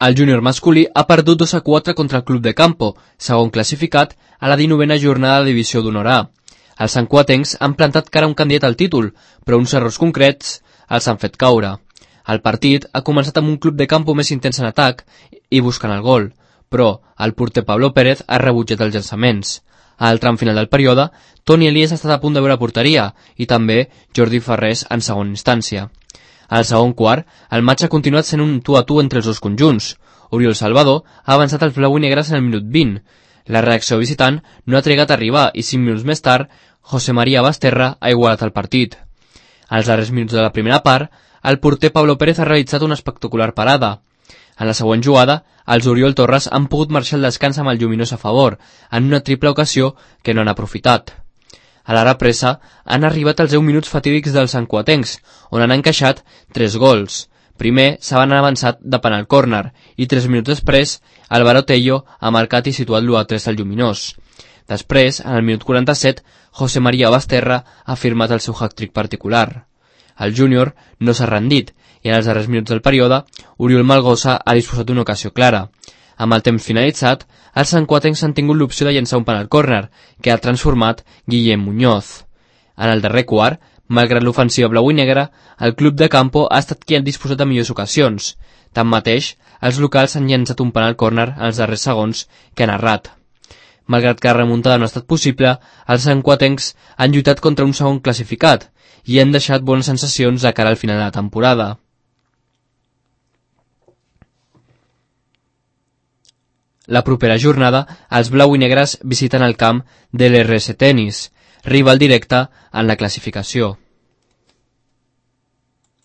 El júnior masculí ha perdut 2-4 contra el Club de Campo, segon classificat a la 19a jornada de la Divisió d'Honor A. Els santcuatencs han plantat cara a un candidat al títol, però uns errors concrets els han fet caure. El partit ha començat amb un Club de Campo més intens en atac i buscant el gol, però el porter Pablo Pérez ha rebutjat els llançaments. Al tram final del període, Toni Elias ha estat a punt de veure porteria i també Jordi Ferrés en segona instància. Al segon quart, el matx ha continuat sent un tu a tu entre els dos conjunts. Oriol Salvador ha avançat als blau i negres en el minut 20. La reacció visitant no ha trigat a arribar i 5 minuts més tard, José María Basterra ha igualat el partit. Als darrers minuts de la primera part, el porter Pablo Pérez ha realitzat una espectacular parada. En la següent jugada, els Oriol Torres han pogut marxar al descans amb el lluminós a favor, en una triple ocasió que no han aprofitat. A la represa han arribat els 10 minuts fatídics dels santcuatencs, on han encaixat 3 gols. Primer s'han avançat de penal córner i 3 minuts després Álvaro Tello ha marcat i situat l'1-3 al lluminós. Després, en el minut 47, José María Basterra ha firmat el seu hat-trick particular. El júnior no s'ha rendit i en els darrers minuts del període, Oriol Malgosa ha disposat d'una ocasió clara. Amb el temps finalitzat, els santcuatencs han tingut l'opció de llançar un penal córner, que ha transformat Guillem Muñoz. En el darrer quart, malgrat l'ofensiva blau i negra, el Club de Campo ha estat qui ha disposat de millors ocasions. Tanmateix, els locals han llançat un penal córner en els darrers segons que han errat. Malgrat que la remuntada no ha estat possible, els santcuatencs han lluitat contra un segon classificat i han deixat bones sensacions de cara al final de la temporada. La propera jornada, els blau i negres visiten el camp de l'RS Tenis, rival directe en la classificació.